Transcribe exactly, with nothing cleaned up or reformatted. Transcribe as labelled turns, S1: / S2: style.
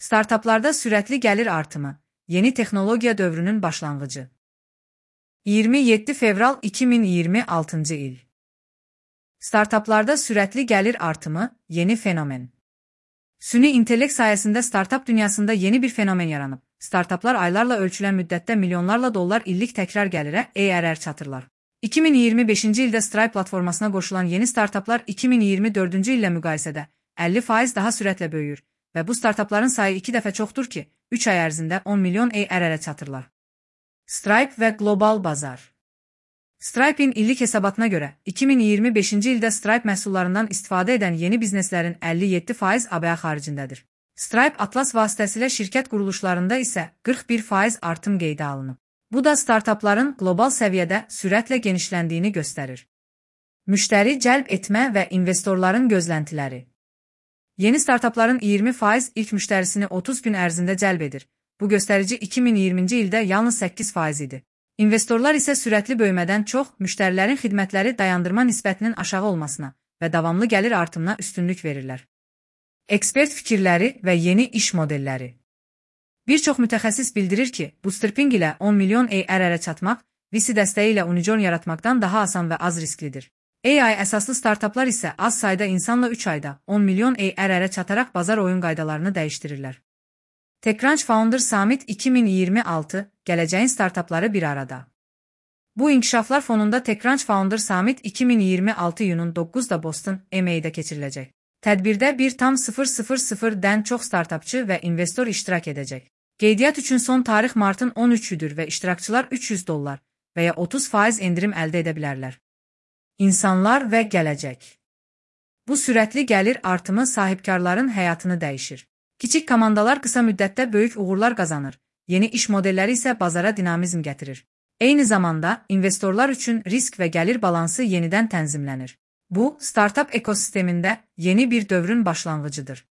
S1: Startaplarda sürətli gəlir artımı, yeni texnologiya dövrünün başlanğıcı. iyirmi yeddi fevral iki min iyirmi altıncı il. Startaplarda sürətli gəlir artımı, yeni fenomen. Süni intellekt sayəsində startap dünyasında yeni bir fenomen yaranıb. Startaplar aylarla ölçülən müddətdə milyonlarla dollar illik təkrar gəlirə A R R çatırlar. iki min iyirmi beşinci ildə Stripe platformasına qoşulan yeni startaplar iki min iyirmi dördüncü illə müqayisədə əlli faiz daha sürətlə böyüyür və bu startapların sayı iki dəfə çoxdur ki, üç ay ərzində on milyon A R R-ə çatırlar. Stripe və qlobal bazar. Stripe'in illik hesabatına görə, iki min iyirmi beşinci ildə Stripe məhsullarından istifadə edən yeni bizneslərin əlli yeddi faiz A B A xaricindədir. Stripe Atlas vasitəsilə şirkət quruluşlarında isə qırx bir faiz artım qeydə alınıb. Bu da startapların qlobal səviyyədə sürətlə genişləndiyini göstərir. Müştəri cəlb etmə və investorların gözləntiləri. Yeni startapların iyirmi faiz ilk müştərisini otuz gün ərzində cəlb edir. Bu göstərici iki min iyirminci ildə yalnız səkkiz faiz idi. İnvestorlar isə sürətli böyümədən çox müştərilərin xidmətləri dayandırma nisbətinin aşağı olmasına və davamlı gəlir artımına üstünlük verirlər. Ekspert fikirləri və yeni iş modelləri. Bir çox mütəxəssis bildirir ki, bootstrapping ilə on milyon A R R-ə çatmaq, V C dəstəyi ilə unicorn yaratmaqdan daha asan və az risklidir. A I əsaslı startaplar isə az sayda insanla üç ayda on milyon A R R-ə çataraq bazar oyun qaydalarını dəyişdirirlər. TechCrunch Founder Summit iki min iyirmi altı, gələcəyin startapları bir arada. Bu inkişaflar fonunda TechCrunch Founder Summit iki min iyirmi altı iyunun doqquzunda Boston, M A-də keçiriləcək. Tədbirdə bir tam sıfır sıfır sıfırdən çox startapçı və investor iştirak edəcək. Qeydiyyat üçün son tarix martın on üçüdür və iştirakçılar üç yüz dollar və ya otuz faiz endirim əldə edə bilərlər. İnsanlar və gələcək. Bu sürətli gəlir artımı sahibkarların həyatını dəyişir. Kiçik komandalar qısa müddətdə böyük uğurlar qazanır, yeni iş modelləri isə bazara dinamizm gətirir. Eyni zamanda, investorlar üçün risk və gəlir balansı yenidən tənzimlənir. Bu, startap ekosistemində yeni bir dövrün başlanğıcıdır.